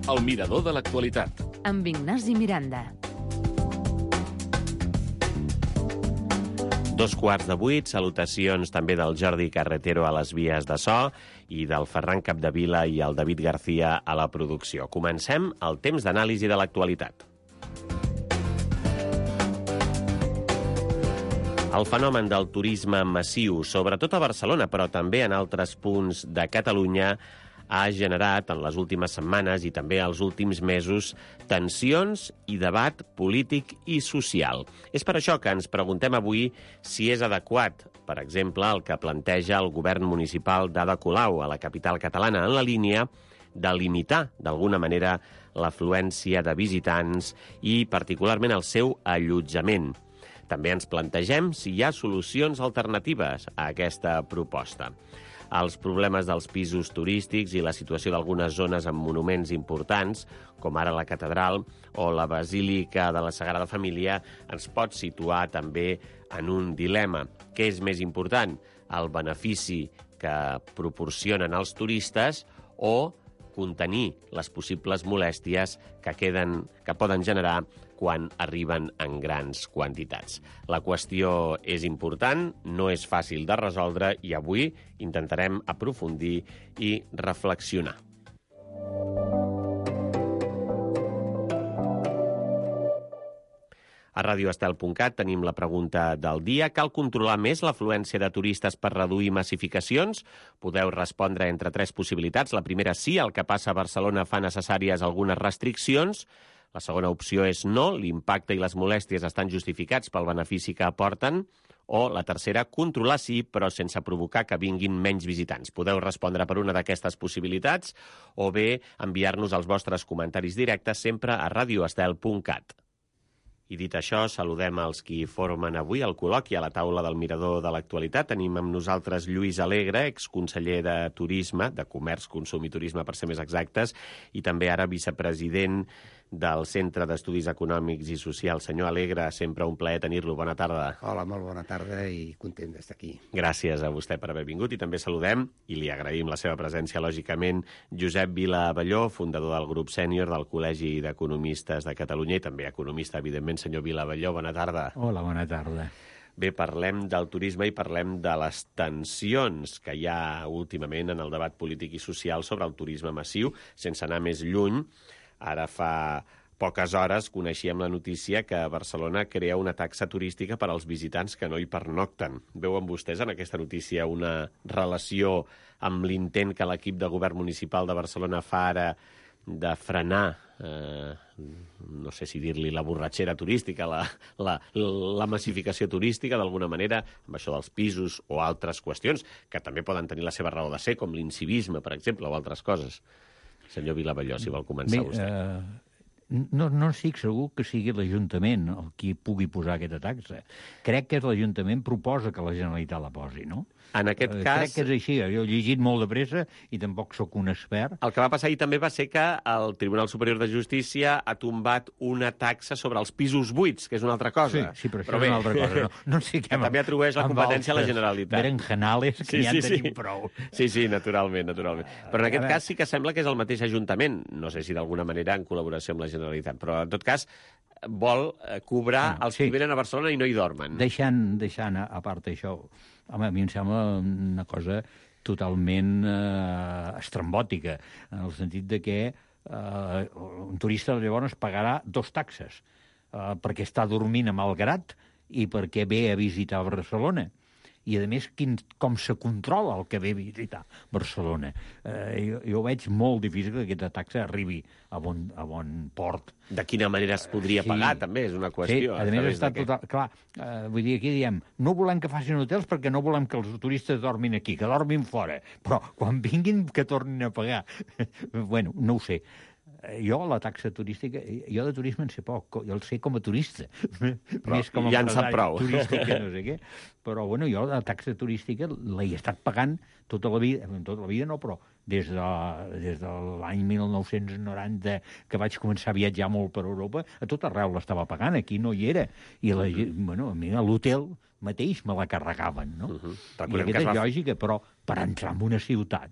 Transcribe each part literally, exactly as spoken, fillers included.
El mirador de l'actualitat. Amb Ignasi Miranda. Dos quarts de vuit, salutacions també del Jordi Carretero a les vies de so i del Ferran Capdevila i el David García a la producció. Comencem el temps d'anàlisi de l'actualitat. El fenomen del turisme massiu, sobretot a Barcelona, però també en altres punts de Catalunya, ha generat en les últimes setmanes i també els últims mesos tensions i debat polític i social. És per això que ens preguntem avui si és adequat, per exemple, el que planteja el govern municipal d'Ada Colau a la capital catalana en la línia de limitar, d'alguna manera, l'afluència de visitants i, particularment, el seu allotjament. També ens plantegem si hi ha solucions alternatives a aquesta proposta. Els problemes dels pisos turístics i la situació d'algunes zones amb monuments importants, com ara la catedral o la Basílica de la Sagrada Família, ens pot situar també en un dilema. Què és més important? El benefici que proporcionen els turistes o contenir les possibles molèsties que, queden, que poden generar quan arriben en grans quantitats. La qüestió és important, no és fàcil de resoldre i avui intentarem aprofundir i reflexionar. A radio estel punt cat tenim la pregunta del dia. Cal controlar més l'afluència de turistes per reduir massificacions? Podeu respondre entre tres possibilitats. La primera, sí, el que passa a Barcelona fa necessàries algunes restriccions. La segona opció és no, l'impacte i les molèsties estan justificats pel benefici que aporten. O la tercera, controlar sí, però sense provocar que vinguin menys visitants. Podeu respondre per una d'aquestes possibilitats o bé enviar-nos els vostres comentaris directes sempre a radio estel punt cat. I dit això, saludem els qui formen avui el col·loqui a la taula del Mirador de l'Actualitat. Tenim amb nosaltres Lluís Alegre, exconseller de Turisme, de Comerç, Consum i Turisme, per ser més exactes, i també ara vicepresident del Centre d'Estudis Econòmics i Socials. Senyor Alegre, sempre un plaer tenir-lo. Bona tarda. Hola, molt bona tarda i content d'estar aquí. Gràcies a vostè per haver vingut i també saludem, i li agraïm la seva presència, lògicament, Josep Vila Abelló, fundador del grup sènior del Col·legi d'Economistes de Catalunya i també economista, evidentment. Senyor Vila Abelló, bona tarda. Hola, bona tarda. Bé, parlem del turisme i parlem de les tensions que hi ha últimament en el debat polític i social sobre el turisme massiu. Sense anar més lluny, ara fa poques hores coneixíem la notícia que Barcelona crea una taxa turística per als visitants que no hi pernocten. Veuen vostès en aquesta notícia una relació amb l'intent que l'equip de govern municipal de Barcelona fa ara de frenar, eh, no sé si dir-li la borratxera turística, la, la, la massificació turística, d'alguna manera, amb això dels pisos o altres qüestions, que també poden tenir la seva raó de ser, com l'incivisme, per exemple, o altres coses. Senyor Vilabelló, si vol començar Bé, vostè. Eh, no, no estic segur que sigui l'Ajuntament el qui pugui posar aquesta taxa. Crec que és l'Ajuntament proposa que la Generalitat la posi, no? En aquest eh, cas... Crec que és així. Jo he llegit molt de pressa i tampoc sóc un expert. El que va passar ahir també va ser que el Tribunal Superior de Justícia ha tombat una taxa sobre els pisos buits, que és una altra cosa. Sí, sí, però això però és bé, una altra cosa. No, no sé què també atribueix la competència a la Generalitat. Berenjenales, que Sí, ja sí, en tenim sí. prou. Sí, sí, naturalment, naturalment. Però en aquest A veure. cas sí que sembla que és el mateix Ajuntament, no sé si d'alguna manera en col·laboració amb la Generalitat, però en tot cas vol eh, cobrar Bueno, els sí. que venen a Barcelona i no hi dormen. Deixant, deixant a, a part això, home, a mi em sembla una cosa totalment eh, estrambòtica, en el sentit de que eh, un turista llavors pagarà dos taxes, eh, perquè està dormint a Malgrat i perquè ve a visitar Barcelona. I, a més, quin, com se controla el que ve a visitar Barcelona. Eh, jo, jo veig molt difícil que aquesta taxa arribi a bon, a bon port. De quina manera es podria Sí. pagar, també, és una qüestió. Sí, a més està total... Clar, eh, vull dir, aquí diem, no volem que facin hotels perquè no volem que els turistes dormin aquí, que dormin fora. Però quan vinguin, que tornin a pagar. Bueno, no ho sé. Jo, la taxa turística, jo de turisme en sé poc, jo el sé com a turista, però més com a ja en sap prou. turístic que no sé què, però bueno, jo la taxa turística l'he estat pagant tota la vida, tota la vida no, però des de, des de l'any mil nou-cents noranta, que vaig començar a viatjar molt per Europa, a tot arreu l'estava pagant, aquí no hi era, i la, uh -huh. bueno, a mi a l'hotel mateix me la carregaven, no? Uh -huh. I aquesta és va... lògica, però per entrar en una ciutat,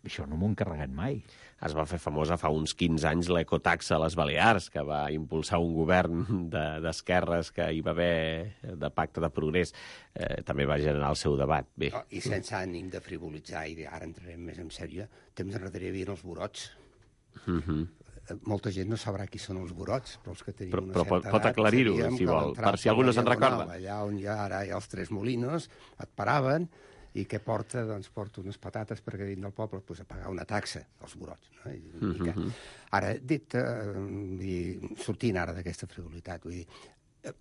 això no m'ho han carregat mai. Es va fer famosa fa uns quinze anys l'ecotaxa a les Balears, que va impulsar un govern d'esquerres que hi va haver de pacte de progrés. Eh, també va generar el seu debat. Bé. Oh, I sense ànim de frivolitzar, i ara entrarem més en sèrio, temps enrere hi havia els borots. Mm -hmm. Molta gent no sabrà qui són els borots, però els que tenim però, una però certa pot, pot aclarir-ho, si vol, per si algú no se'n recorda. Allà on hi ha ara hi ha els Tres Molinos, et paraven, i què porta? Doncs porta unes patates perquè dins del poble pues, a pagar una taxa, els borots. No? I, mm -hmm. Ara, dit, eh, i sortint ara d'aquesta frivolitat, vull dir, eh,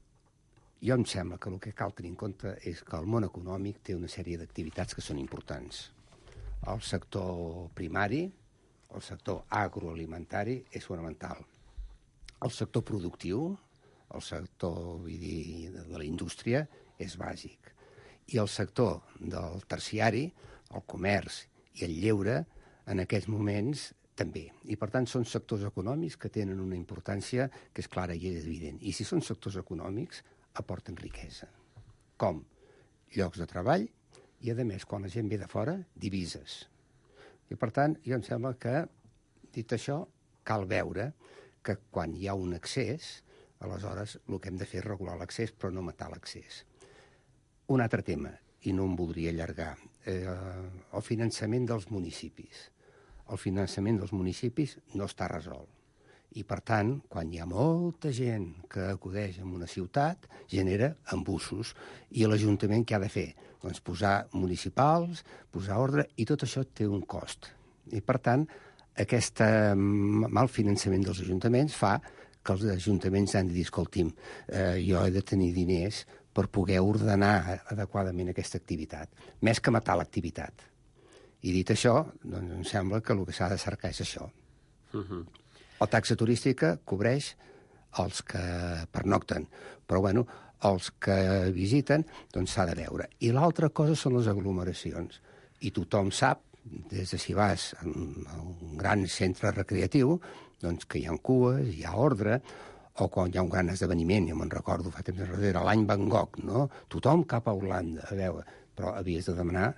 jo em sembla que el que cal tenir en compte és que el món econòmic té una sèrie d'activitats que són importants. El sector primari, el sector agroalimentari és fonamental. El sector productiu, el sector vull dir, de la indústria, és bàsic. I el sector del terciari, el comerç i el lleure, en aquests moments també. I, per tant, són sectors econòmics que tenen una importància que és clara i és evident. I si són sectors econòmics, aporten riquesa. Com? Llocs de treball i, a més, quan la gent ve de fora, divises. I, per tant, jo em sembla que, dit això, cal veure que quan hi ha un excés, aleshores el que hem de fer és regular l'accés, però no matar l'accés. Un altre tema, i no em voldria allargar, eh, el finançament dels municipis. El finançament dels municipis no està resolt. I, per tant, quan hi ha molta gent que acudeix a una ciutat, genera embussos. I l'Ajuntament què ha de fer? Doncs posar municipals, posar ordre, i tot això té un cost. I, per tant, aquest mal finançament dels ajuntaments fa que els ajuntaments han de dir, escolti'm, eh, jo he de tenir diners per poder ordenar adequadament aquesta activitat, més que matar l'activitat. I dit això, doncs em sembla que el que s'ha de cercar és això. Uh-huh. La taxa turística cobreix els que pernocten, però, bueno, els que visiten, doncs s'ha de veure. I l'altra cosa són les aglomeracions. I tothom sap, des de si vas a un gran centre recreatiu, doncs que hi ha cues, hi ha ordre, o quan hi ha un gran esdeveniment, jo me'n recordo, fa temps enrere, l'any Van Gogh, no? Tothom cap a Holanda, a veure, però havies de demanar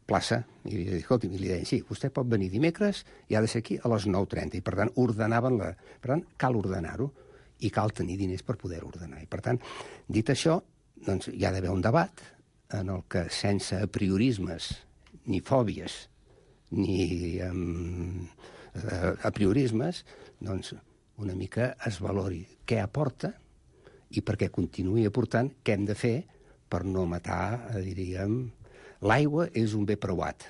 plaça, i li deia, escolti, li deien, sí, vostè pot venir dimecres i ha de ser aquí a les nou trenta, i per tant, ordenaven la... Per tant, cal ordenar-ho, i cal tenir diners per poder ordenar. I per tant, dit això, doncs hi ha d'haver un debat en el que, sense apriorismes, ni fòbies, ni um, apriorismes, doncs una mica es valori què aporta i perquè continuï aportant què hem de fer per no matar, diríem... L'aigua és un bé preuat,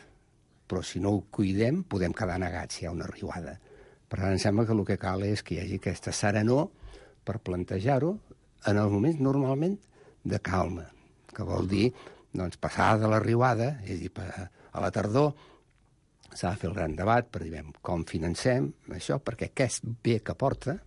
però si no ho cuidem podem quedar negats si hi ha una riuada. Per tant, em sembla que el que cal és que hi hagi aquesta serenor per plantejar-ho en els moments normalment de calma, que vol dir doncs, passar de la riuada, és a dir, a la tardor, s'ha de fer el gran debat per dir com financem això, perquè aquest bé que porta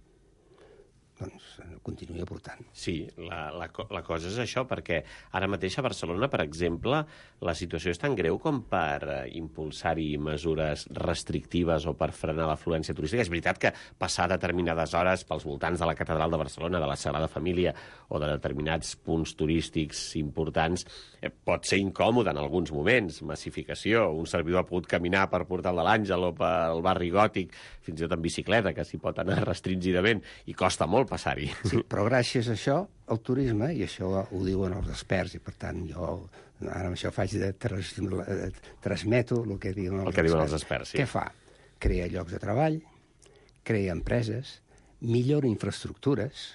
doncs continuï aportant. Sí, la, la, la cosa és això, perquè ara mateix a Barcelona, per exemple, la situació és tan greu com per uh, impulsar-hi mesures restrictives o per frenar l'afluència turística. És veritat que passar determinades hores pels voltants de la Catedral de Barcelona, de la Sagrada Família o de determinats punts turístics importants eh, pot ser incòmode en alguns moments. Massificació, un servidor ha pogut caminar per Portal de l'Àngel o pel barri Gòtic, fins i tot en bicicleta, que s'hi pot anar restringidament, i costa molt passar-hi. Sí, però gràcies a això, el turisme, i això ho diuen els experts, i per tant jo ara amb això faig de tras, transmeto el que diuen els el que experts. diuen els experts, sí. Què fa? Crea llocs de treball, crea empreses, millora infraestructures,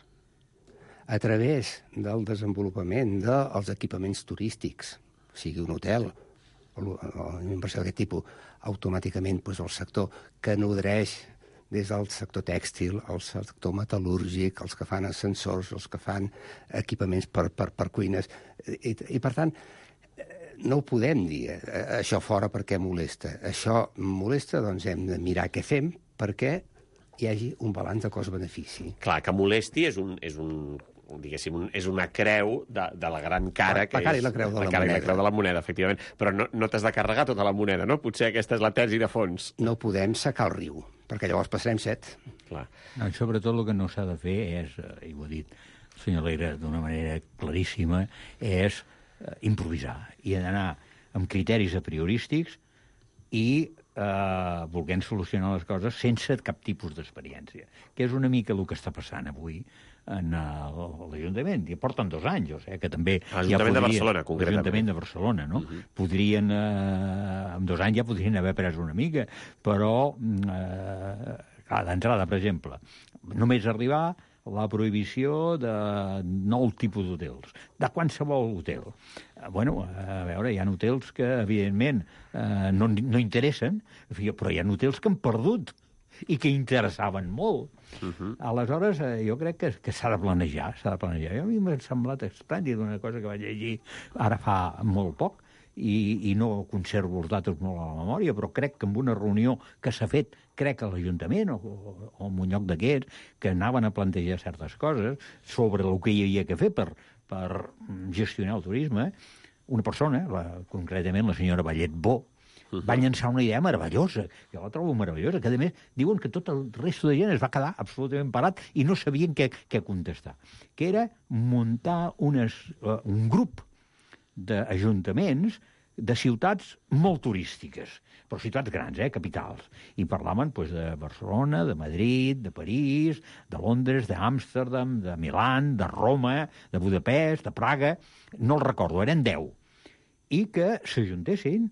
a través del desenvolupament dels equipaments turístics, sigui un hotel o una inversió d'aquest tipus, automàticament doncs, el sector que nodreix des del sector tèxtil, el sector metal·lúrgic, els que fan ascensors, els que fan equipaments per, per, per cuines. I, I, per tant, no ho podem dir, això fora perquè molesta. Això molesta, doncs hem de mirar què fem perquè hi hagi un balanç de cost-benefici. Clar, que molesti és un... És un... diguéssim, és una creu de, de la gran cara, la, que la cara és... i la creu de la, la cara moneda. i la creu de la moneda, efectivament. Però no, no t'has de carregar tota la moneda, no? Potser aquesta és la tesi de fons. No podem secar el riu, perquè llavors passarem set. Clar. No, sobretot el que no s'ha de fer és, i ho ha dit el senyor Alegre d'una manera claríssima, és improvisar i anar amb criteris apriorístics i eh, volent solucionar les coses sense cap tipus d'experiència, que és una mica el que està passant avui en uh, l'Ajuntament. I porten dos anys, o sigui que també... L'Ajuntament ja podria, de Barcelona, concretament. L'Ajuntament de Barcelona, no? Uh-huh. Podrien, eh, en dos anys ja podrien haver pres una mica, però, eh, d'entrada, per exemple, només arribar la prohibició de nou tipus d'hotels, de qualsevol hotel. Bueno, a veure, hi ha hotels que, evidentment, eh, no, no interessen, però hi ha hotels que han perdut i que interessaven molt. Uh-huh. Aleshores, eh, jo crec que, que s'ha de planejar, s'ha de planejar. A mi m'ha semblat estrany d'una cosa que vaig llegir ara fa molt poc, i, i no conservo els datos molt a la memòria, però crec que en una reunió que s'ha fet, crec a l'Ajuntament o, o, o en un lloc d'aquests, que anaven a plantejar certes coses sobre el que hi havia que fer per, per gestionar el turisme, una persona, la, concretament la senyora Vallet Bo, va llançar una idea meravellosa, jo la trobo meravellosa, que a més diuen que tot el resto de gent es va quedar absolutament parat i no sabien què, què contestar, que era muntar unes, uh, un grup d'ajuntaments de ciutats molt turístiques, però ciutats grans, eh, capitals. I parlaven pues, de Barcelona, de Madrid, de París, de Londres, d'Amsterdam, de Milán, de Roma, de Budapest, de Praga, no el recordo, eren deu. I que s'ajuntessin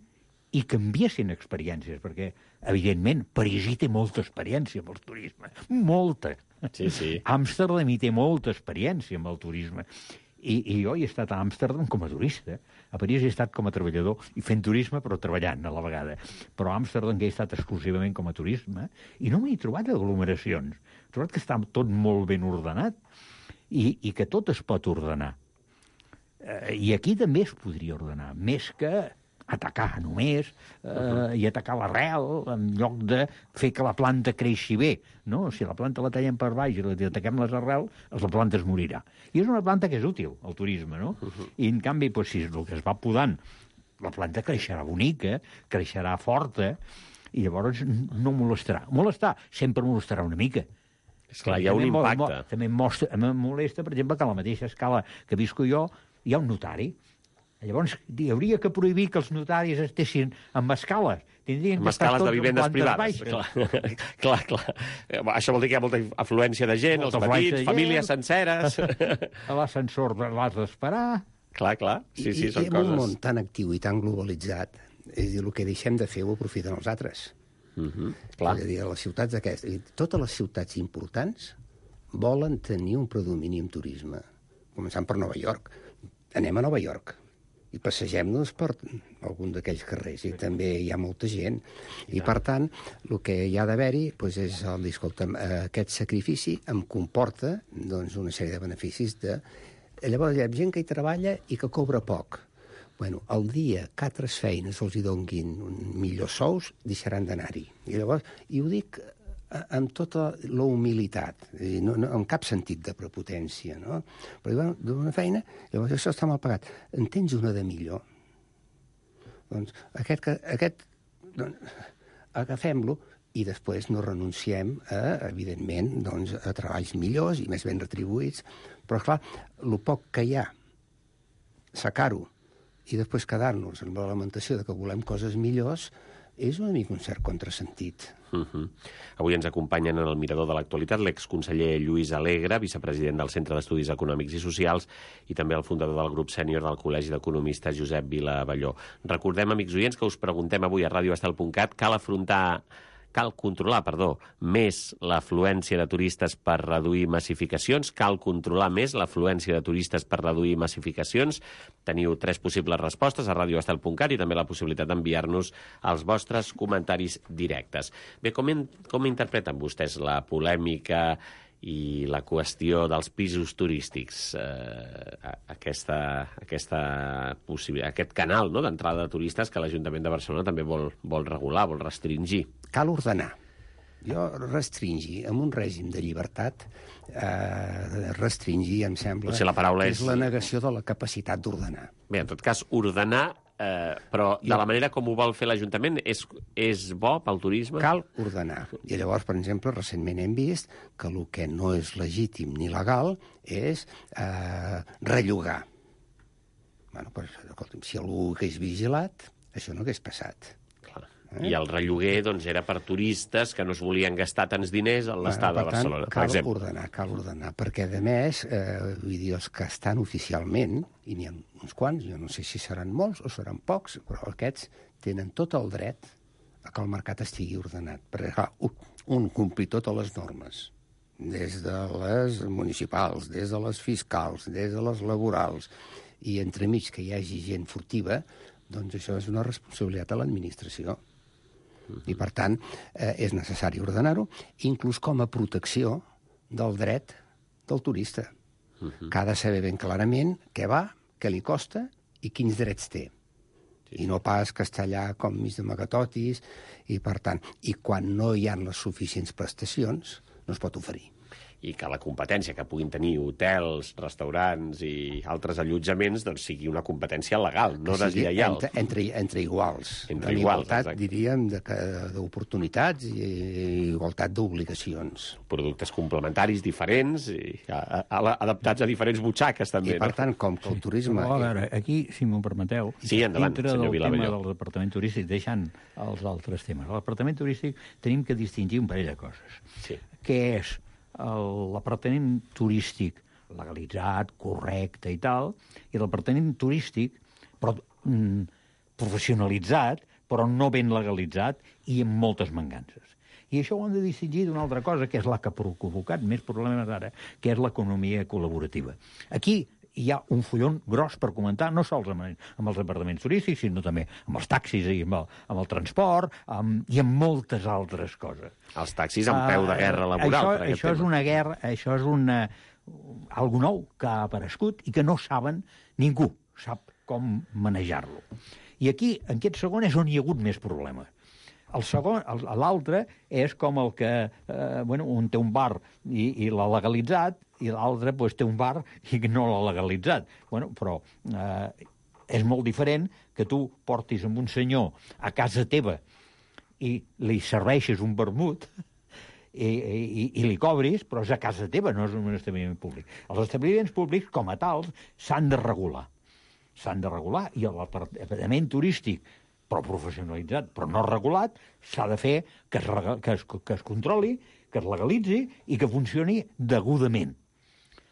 i canviessin experiències, perquè, evidentment, París hi té molta experiència amb el turisme, molta. Sí, sí. Amsterdam hi té molta experiència amb el turisme. I, I jo hi he estat a Amsterdam com a turista. A París he estat com a treballador i fent turisme, però treballant a la vegada. Però a Amsterdam que he estat exclusivament com a turisme i no m'he trobat aglomeracions. He trobat que està tot molt ben ordenat i, i que tot es pot ordenar. Eh, I aquí també es podria ordenar, més que atacar només eh, uh-huh. i atacar l'arrel en lloc de fer que la planta creixi bé. No? Si la planta la tallem per baix i la ataquem les arrels, la planta es morirà. I és una planta que és útil, el turisme, no? Uh-huh. I en canvi, doncs, si el que es va podant, la planta creixerà bonica, creixerà forta, i llavors no molestarà. Molestar, sempre molestarà una mica. Esclar, hi ha un impacte. Mo, també em molesta, per exemple, que a la mateixa escala que visco jo hi ha un notari. Llavors, hi hauria que prohibir que els notaris estessin amb escales. Tindrien amb que estar escales tots de vivendes en privades. Clar, clar, clar. Això vol dir que hi ha molta afluència de gent, molta els petits, famílies senceres. A l'ascensor l'has d'esperar. Clar, clar. Sí, sí, I, són I en coses. un món tan actiu i tan globalitzat, és a dir, el que deixem de fer ho aprofiten els altres. Uh-huh. Clar. És a dir, a les ciutats aquestes, totes les ciutats importants volen tenir un predomini en turisme. Començant per Nova York. Anem a Nova York i passegem-nos per algun d'aquells carrers, i també hi ha molta gent. I, per tant, el que hi ha d'haver-hi doncs, és el dir, escolta'm, aquest sacrifici em comporta doncs, una sèrie de beneficis. De... Llavors, hi ha gent que hi treballa i que cobra poc. Bueno, el dia que altres feines els hi donguin millors sous, deixaran d'anar-hi. I llavors, i ho dic amb tota la humilitat, no, no, en cap sentit de prepotència, no? Però bueno, d'una feina, llavors això està mal pagat. En tens una de millor? Doncs aquest, aquest doncs, agafem-lo i després no renunciem a, evidentment, doncs, a treballs millors i més ben retribuïts. Però, clar, el poc que hi ha, sacar-ho i després quedar-nos amb la lamentació de que volem coses millors és una mica un cert contrasentit. Uh-huh. Avui ens acompanyen en el Mirador de l'Actualitat l'exconseller Lluís Alegre, vicepresident del Centre d'Estudis Econòmics i Socials, i també el fundador del grup sènior del Col·legi d'Economistes, Josep Vilavalló. Recordem, amics oients, que us preguntem avui a radio estel punt cat, cal afrontar... Cal controlar, perdó, més l'afluència de turistes per reduir massificacions? Cal controlar més l'afluència de turistes per reduir massificacions? Teniu tres possibles respostes a radio estel punt cat i també la possibilitat d'enviar-nos els vostres comentaris directes. Bé, com, in, com interpreten vostès la polèmica i la qüestió dels pisos turístics, eh, aquesta, aquesta aquest canal, no?, d'entrada de turistes que l'Ajuntament de Barcelona també vol, vol regular, vol restringir? Cal ordenar. Jo restringir, amb un règim de llibertat, eh, restringir, em sembla, Potser la paraula és... és la negació de la capacitat d'ordenar. Bé, en tot cas, ordenar, eh, però de la manera com ho vol fer l'Ajuntament és, és bo pel turisme? Cal ordenar. I llavors, per exemple, recentment hem vist que el que no és legítim ni legal és eh, rellogar. Bueno, pues, escolta'm, si algú hagués vigilat, això no hagués passat. Clar. Eh? I el relloguer doncs, era per turistes que no es volien gastar tants diners a l'estada a Barcelona, per cal exemple. ordenar, cal ordenar, perquè, a més, eh, vull dir, els que estan oficialment, i n'hi ha uns quants, jo no sé si seran molts o seran pocs, però aquests tenen tot el dret a que el mercat estigui ordenat. Perquè, clar, un complir totes les normes, des de les municipals, des de les fiscals, des de les laborals, i entremig que hi hagi gent furtiva, doncs això és una responsabilitat a l'administració. I, per tant, eh, és necessari ordenar-ho, inclús com a protecció del dret del turista, uh -huh. que ha de saber ben clarament què va, què li costa i quins drets té. Sí. I no pas que està allà com mig de magatotis, i, per tant, i quan no hi ha les suficients prestacions, no es pot oferir. I que la competència que puguin tenir hotels, restaurants i altres allotjaments doncs sigui una competència legal, no deslleial. Entre, entre, entre iguals. Entre en iguals, igualtat, exacte. diríem, d'oportunitats i igualtat d'obligacions. Productes complementaris diferents i a, a, adaptats a diferents butxaques, també. I, per no? tant, com que el turisme... Però, a veure, aquí, si m'ho permeteu, sí, endavant, dintre senyor del Vilavelló. tema del departament turístic, deixant els altres temes, al departament turístic tenim que distingir un parell de coses. Sí. Què és l'apartament turístic legalitzat, correcte i tal, i l'apartament turístic però, mm, professionalitzat, però no ben legalitzat i amb moltes mancances. I això ho hem de distingir d'una altra cosa, que és la que ha provocat més problemes ara, que és l'economia col·laborativa. Aquí hi ha un fullon gros per comentar, no sols amb, amb els departaments turístics, sinó també amb els taxis i amb el, amb el transport amb, i amb moltes altres coses. Els taxis amb peu de guerra laboral. Uh, per això, aquest això és tema. una guerra, això és una, algo nou que ha aparegut i que no saben, ningú sap com manejar-lo. I aquí, en aquest segon, és on hi ha hagut més problemes. El segon, l'altre, és com el que, eh, bueno, un té un bar i, i l'ha legalitzat, i l'altre pues, té un bar i no l'ha legalitzat. Bueno, però eh, és molt diferent que tu portis amb un senyor a casa teva i li serveixes un vermut i, i, i li cobris, però és a casa teva, no és un establiment públic. Els establiments públics, com a tals, s'han de regular. S'han de regular, i l'apartament turístic, però professionalitzat, però no regulat, s'ha de fer que es, que, es, que es controli, que es legalitzi i que funcioni degudament.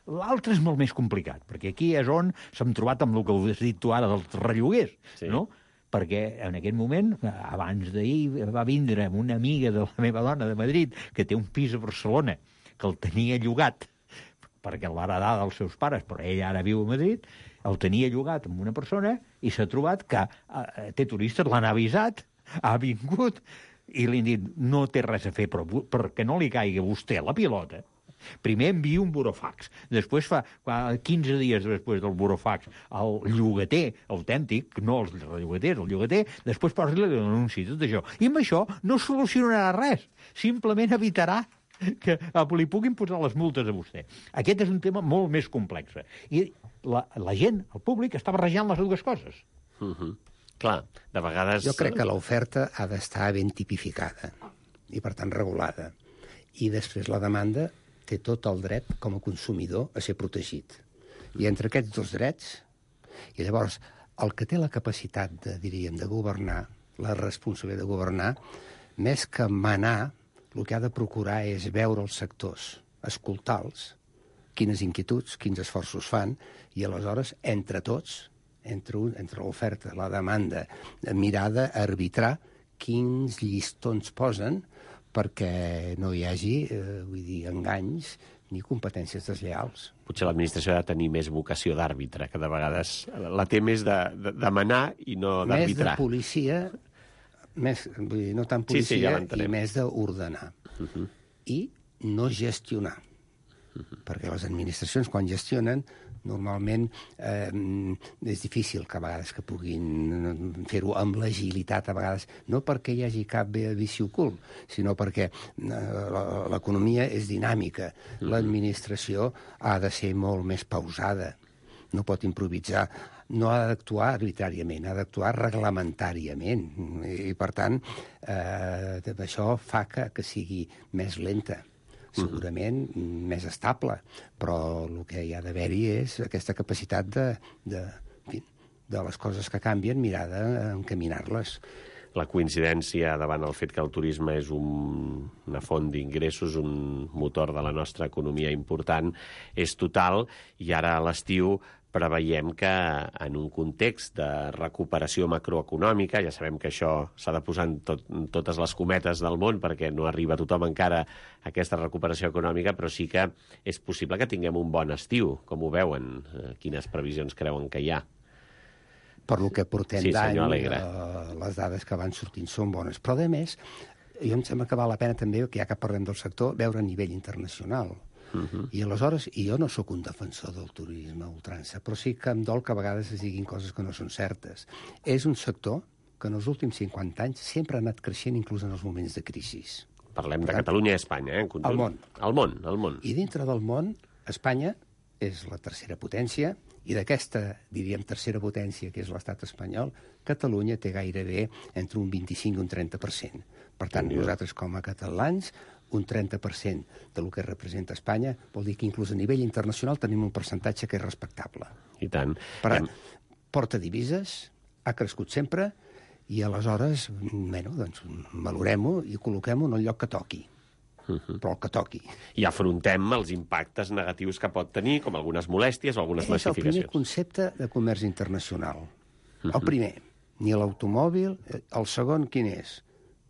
L'altre és molt més complicat, perquè aquí és on s'hem trobat amb el que has dit tu ara dels relloguers, sí. No? Perquè en aquest moment, abans d'ahir, va vindre una amiga de la meva dona de Madrid, que té un pis a Barcelona, que el tenia llogat, perquè l'ha heredat dels seus pares, però ella ara viu a Madrid, el tenia llogat amb una persona i s'ha trobat que eh, té turistes, l'han avisat, ha vingut i li han dit no té res a fer, però perquè no li caigui a vostè la pilota, primer envia un burofax, després fa quinze dies després del burofax el llogater autèntic, no els llogaters, el llogater, després posa-li l'anunci, tot això. I amb això no solucionarà res, simplement evitarà que li puguin posar les multes a vostè. Aquest és un tema molt més complex. I la, la gent, el públic, està barrejant les dues coses. Uh-huh. Clar, de vegades... Jo crec que l'oferta ha d'estar ben tipificada i, per tant, regulada. I després la demanda té tot el dret, com a consumidor, a ser protegit. I entre aquests dos drets, i llavors, el que té la capacitat, de, diríem, de governar, la responsabilitat de governar, més que manar, el que ha de procurar és veure els sectors, escoltar-los, quines inquietuds, quins esforços fan, i aleshores, entre tots, entre, un, entre l'oferta, la demanda, mirar d'arbitrar quins llistons posen perquè no hi hagi, eh, vull dir, enganys ni competències deslleials. Potser l'administració ha de tenir més vocació d'àrbitre, que de vegades la té més de, de, de manar i no d'arbitrar. Més de policia, més, vull dir, no tant policia, sí, sí, ja i més d'ordenar. Uh-huh. I no gestionar. Uh-huh. Perquè les administracions, quan gestionen, normalment eh, és difícil que a vegades que puguin fer-ho amb l'agilitat, a vegades, no perquè hi hagi cap vici ocult, sinó perquè eh, l'economia és dinàmica. Uh-huh. L'administració ha de ser molt més pausada, no pot improvisar, no ha d'actuar arbitràriament, ha d'actuar reglamentàriament. I, per tant, eh, això fa que, que sigui més lenta. Segurament uh-huh. més estable, però el que hi ha d'haver-hi és aquesta capacitat de, de, de les coses que canvien, mirar d'encaminar-les. la coincidència davant el fet que el turisme és un, una font d'ingressos, un motor de la nostra economia important, és total, i ara a l'estiu preveiem que en un context de recuperació macroeconòmica, ja sabem que això s'ha de posar en tot, en totes les cometes del món perquè no arriba a tothom encara a aquesta recuperació econòmica, però sí que és possible que tinguem un bon estiu. Com ho veuen? Quines previsions creuen que hi ha? Per lo que portem Sí, d'any, senyor Alegre. eh, les dades que van sortint són bones. Però, a més, jo em sembla que val la pena també, que ja que parlem del sector, veure a nivell internacional. Uh -huh. I aleshores, i jo no sóc un defensor del turisme a ultrança, però sí que em dol que a vegades es diguin coses que no són certes. És un sector que en els últims cinquanta anys sempre ha anat creixent, inclús en els moments de crisi. Parlem de Catalunya i Espanya, eh, en conjunt. El món. El món, el món. I dintre del món, Espanya és la tercera potència, i d'aquesta, diríem, tercera potència, que és l'estat espanyol, Catalunya té gairebé entre un vint-i-cinc i un trenta per cent. Per tant, nosaltres, com a catalans, un trenta per cent del que representa Espanya vol dir que inclús a nivell internacional tenim un percentatge que és respectable. I tant. Per tant, porta divises, ha crescut sempre, i aleshores, bueno, doncs, valorem-ho i col·loquem-ho en el lloc que toqui. Uh -huh. Però el que toqui. I afrontem els impactes negatius que pot tenir, com algunes molèsties o algunes massificacions. És el primer concepte de comerç internacional. Uh -huh. El primer, ni l'automòbil. El segon, quin és?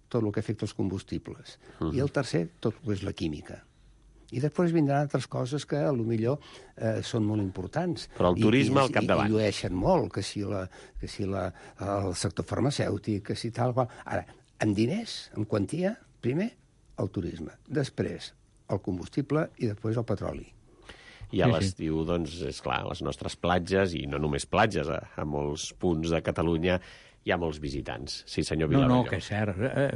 Tot el que afecta els combustibles. Uh -huh. I el tercer, tot el que és la química. I després vindran altres coses que, a lo millor, eh, són molt importants. Però el turisme I, i, al capdavant. I llueixen molt, que si, la, que si la, el sector farmacèutic, que si tal qual. Ara, en diners, en quantia, primer, el turisme. Després, el combustible i després el petroli. I a l'estiu, doncs, és clar, les nostres platges, i no només platges, a, a molts punts de Catalunya hi ha molts visitants. Sí, senyor No, Vilavelló. no, que és cert. Eh,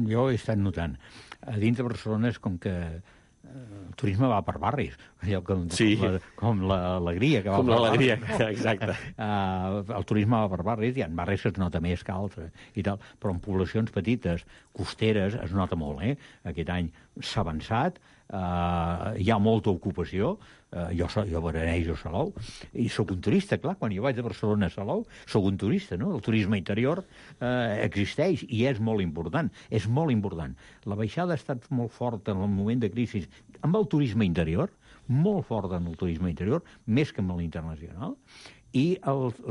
jo he estat notant. A dins de Barcelona és com que el turisme va per barris, allò com, Sí. com, la, com l'alegria que va Com per l'alegria, barris. No? exacte. Uh, el turisme va per barris, hi ha barris que es nota més que altres, i tal, però en poblacions petites, costeres, es nota molt, eh? Aquest any s'ha avançat, uh, hi ha molta ocupació, uh, jo, so, jo veranejo a Salou, i sóc un turista, clar, quan jo vaig de Barcelona a Salou, sóc un turista, no? El turisme interior uh, existeix i és molt important, és molt important. La baixada ha estat molt forta en el moment de crisi amb el turisme interior, molt forta en el turisme interior, més que amb l'internacional, i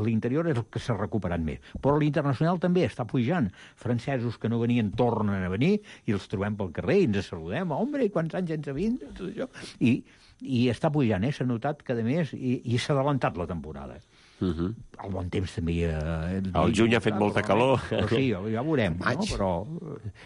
l'interior és el que s'ha recuperat més. Però l'internacional també està pujant. Francesos que no venien tornen a venir i els trobem pel carrer i ens saludem. Hombre, quants anys ens ha vint? Tot això. I, i està pujant, eh? S'ha notat que, a més, i, i s'ha adelantat la temporada. Uh -huh. El bon temps també... Eh, el juny ha fet molta calor. Però sí, ja veurem, no? Però...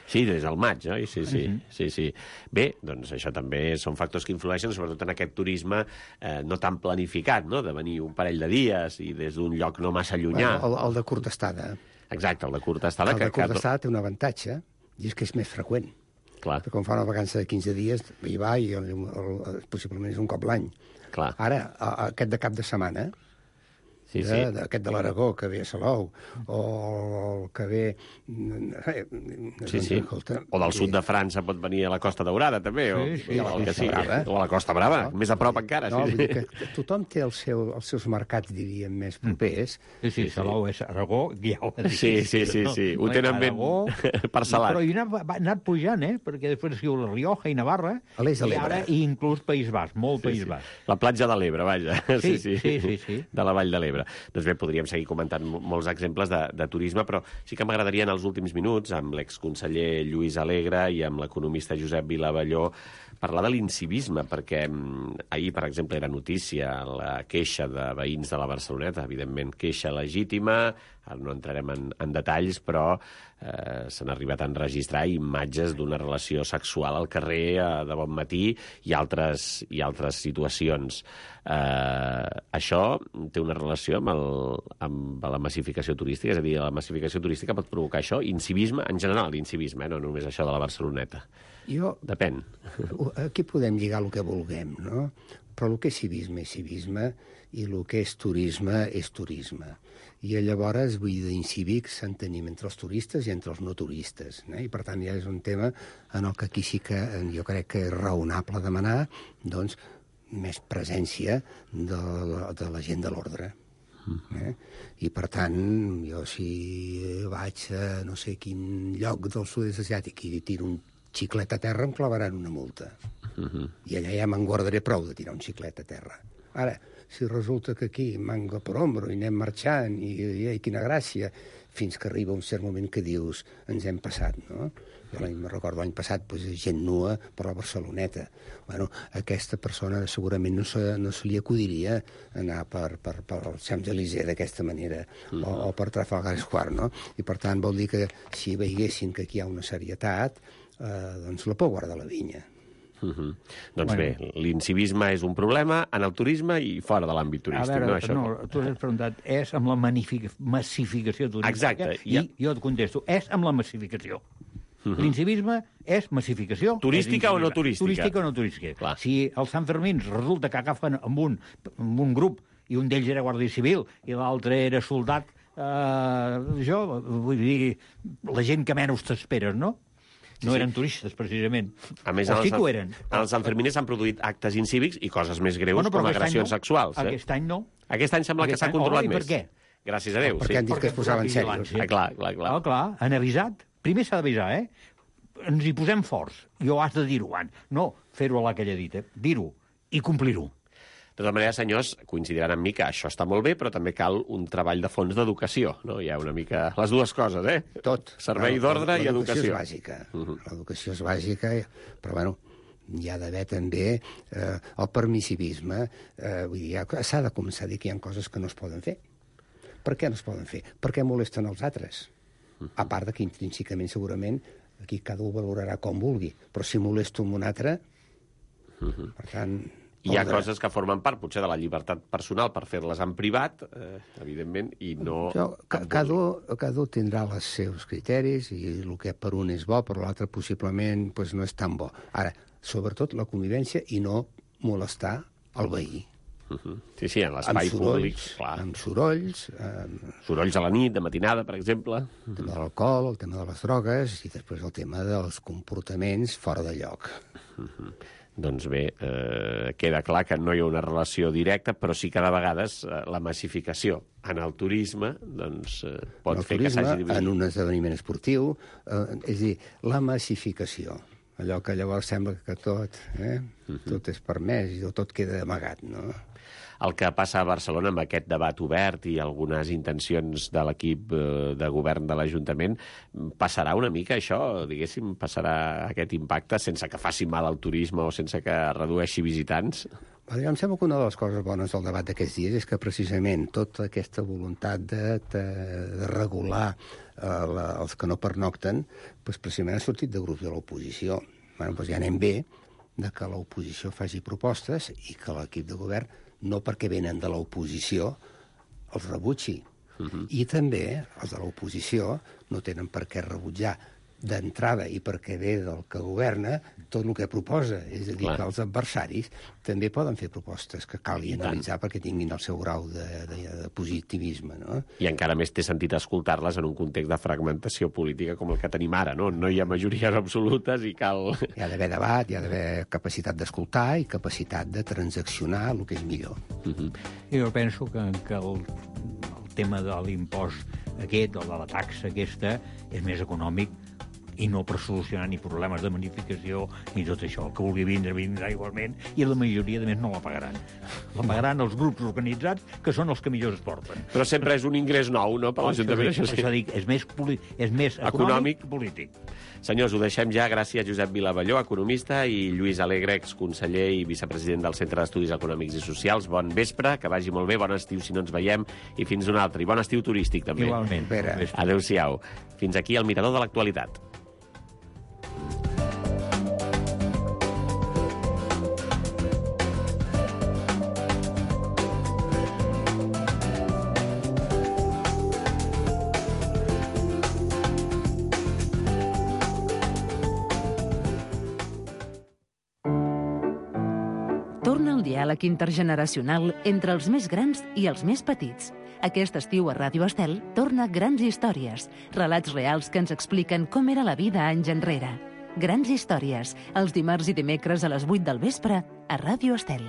Sí, des del maig, oi? Sí, sí, uh -huh. sí, sí. Bé, doncs això també són factors que influeixen, sobretot en aquest turisme eh, no tan planificat, no?, de venir un parell de dies i des d'un lloc no massa llunyà. Bueno, el, el de curta estada. Exacte, el de curta estada. El que, de curta que... estada té un avantatge, i és que és més freqüent. Clar. Com fa una vacança de quinze dies, hi va i el, el, el, possiblement és un cop l'any. Clar. Ara, a, aquest de cap de setmana, sí, de, sí. d'aquest de l'Aragó, que ve a Salou, o el que ve... Eh, sí, sí. Escolta, o del sud de França pot venir a la Costa Daurada, també, o, sí, sí, o, el que sí, sigui. Brava. O a la Costa Brava, no? Més a prop encara. No, sí, vull sí. dir que tothom té el seu, els seus mercats, diríem, més propers. Sí, sí, Salou és Aragó, ja ho he dit. Sí, sí, sí, sí. Ho tenen ben parcel·lat. Però hi ha anat, va anat pujant, eh? Perquè després diu la Rioja i Navarra, a l'est de i ara i inclús País Basc, molt sí, País sí. Basc. La platja de l'Ebre, vaja. Sí, sí, sí, sí, sí. De la Vall de l'Ebre. Doncs bé, podríem seguir comentant molts exemples de, de turisme, però sí que m'agradaria en els últims minuts, amb l'exconseller Lluís Alegre i amb l'economista Josep Vilavelló, parlar de l'incivisme, perquè ahir, per exemple, era notícia la queixa de veïns de la Barceloneta, evidentment queixa legítima, ara no entrarem en, en detalls, però eh, s'han arribat a enregistrar imatges d'una relació sexual al carrer eh, de bon matí i altres, i altres situacions. Eh, això té una relació amb, el, amb la massificació turística, és a dir, la massificació turística pot provocar això, incivisme, en general, incivisme, eh, no només això de la Barceloneta. Jo... Depèn. Aquí podem lligar el que vulguem, no? Però el que és civisme és civisme i el que és turisme és turisme. I llavors, vull dir, d'incívics en tenim entre els turistes i entre els no turistes. Eh? I per tant ja és un tema en el que aquí sí que jo crec que és raonable demanar doncs, més presència de la, de la gent de l'ordre. Eh? I, per tant, jo si vaig a no sé quin lloc del sud-est asiàtic i tiro un xiclet a terra, em clavaran una multa. Uh-huh. I allà ja me'n guardaré prou de tirar un xiclet a terra. Ara, si resulta que aquí manga per ombro i anem marxant i, i, i quina gràcia, fins que arriba un cert moment que dius ens hem passat, no? Jo me'n recordo l'any passat, doncs, gent nua per la Barceloneta. Bueno, aquesta persona segurament no se, no se li acudiria anar per, per, per el Champs-Élysées d'aquesta manera, mm. o, o per Trafalgar Square, no? I per tant vol dir que si veiessin que aquí hi ha una serietat, eh, doncs la por guardar la vinya. Uh -huh. Doncs bueno. Bé, l'incivisme és un problema en el turisme i fora de l'àmbit turístic. A veure, no, això... no, tu has preguntat, és amb la massificació turística? Exacte. I ja... jo et contesto, és amb la massificació. Uh -huh. L'incivisme és massificació. Turística és o no turística? Turística o no turística. Clar. Si els Sant Fermins resulta que agafen amb un, amb un grup i un d'ells era guàrdia civil i l'altre era soldat, eh, jo vull dir, la gent que menys t'esperes, no? No sí, eren turistes, precisament. A més, o sí que ho eren. Els Sanfermines s'han produït actes incívics i coses més greus, bueno, com agressions no. sexuals. Eh? Aquest any no. Aquest any sembla aquest que s'ha controlat oh, més. Per què? Gràcies a Déu, oh, sí. Perquè han dit que es posaven serios. Ah, clar, clar, clar. Oh, clar, han avisat. Primer s'ha d'avisar, eh? Ens hi posem forts. Jo has de dir-ho abans. No fer-ho a la que ella ha dit, eh? Dir-ho i complir-ho. De tota manera, senyors, coincidiran amb mi que això està molt bé, però també cal un treball de fons d'educació, no? Hi ha una mica... Les dues coses, eh? Tot. Servei d'ordre i educació. L'educació és bàsica. Uh -huh. L'educació és bàsica, però, bueno, hi ha d'haver també eh, el permissivisme. Eh, vull dir, s'ha de començar a dir que hi ha coses que no es poden fer. Per què no es poden fer? Perquè molesten els altres. Uh -huh. A part de que intrínsecament, segurament, aquí cada un valorarà com vulgui, però si molesto amb un altre, uh -huh. per tant... Hi ha coses que formen part, potser, de la llibertat personal per fer-les en privat, eh, evidentment, i no... Jo, ca cada, un, cada un tindrà els seus criteris i el que per un és bo, per l'altre possiblement pues, no és tan bo. Ara, sobretot la convivència i no molestar el veí. Uh -huh. Sí, sí, en l'espai públic. Clar. Amb sorolls. Amb... Sorolls a la nit, de matinada, per exemple. El tema de l'alcohol, el tema de les drogues i després el tema dels comportaments fora de lloc. Uh -huh. Doncs bé, eh, queda clar que no hi ha una relació directa, però sí que de vegades eh, la massificació en el turisme doncs, eh, pot fer que s'hagi dividit. En un esdeveniment esportiu, eh, és a dir, la massificació, allò que llavors sembla que tot, eh, uh -huh. tot és permès i tot queda amagat, no? El que passa a Barcelona amb aquest debat obert i algunes intencions de l'equip de govern de l'Ajuntament, passarà una mica això, diguéssim, passarà aquest impacte sense que faci mal al turisme o sense que redueixi visitants? Em sembla que una de les coses bones del debat d'aquests dies és que precisament tota aquesta voluntat de, de, de regular eh, la, els que no pernocten, doncs precisament ha sortit de grups de l'oposició. Bueno, doncs ja anem bé de que l'oposició faci propostes i que l'equip de govern no perquè venen de l'oposició, els rebutgi. Uh-huh. I també els de l'oposició no tenen per què rebutjar d'entrada i perquè ve del que governa tot el que proposa. És a dir, clar, que els adversaris també poden fer propostes que cal analitzar perquè tinguin el seu grau de, de, de positivisme, no? I encara més té sentit escoltar-les en un context de fragmentació política com el que tenim ara, no? No hi ha majories absolutes i cal... Hi ha d'haver debat, hi ha d'haver capacitat d'escoltar i capacitat de transaccionar el que és millor. Uh-huh. Jo penso que, que el, el tema de l'impost aquest, o de la taxa aquesta, és més econòmic i no per solucionar ni problemes de magnificació ni tot això. El que vulgui vindre, vindrà igualment, i la majoria, de més, no la pagaran. La pagaran els grups organitzats, que són els que millor es porten. Però sempre és un ingrés nou, no?, per oh, l'Ajuntament. Això, això, això dic, és més, és més econòmic que polític. Senyors, ho deixem ja. Gràcies, Josep Vilavalló, economista, i Lluís Alegre, exconseller i vicepresident del Centre d'Estudis Econòmics i Socials. Bon vespre, que vagi molt bé, bon estiu si no ens veiem, i fins un altre. I bon estiu turístic, també. Igualment. Adéu-siau. Fins aquí el Mirador de l'Actualitat. Diàleg intergeneracional entre els més grans i els més petits. Aquest estiu a Ràdio Estel torna Grans Històries, relats reals que ens expliquen com era la vida anys enrere. Grans Històries, els dimarts i dimecres a les vuit del vespre a Ràdio Estel.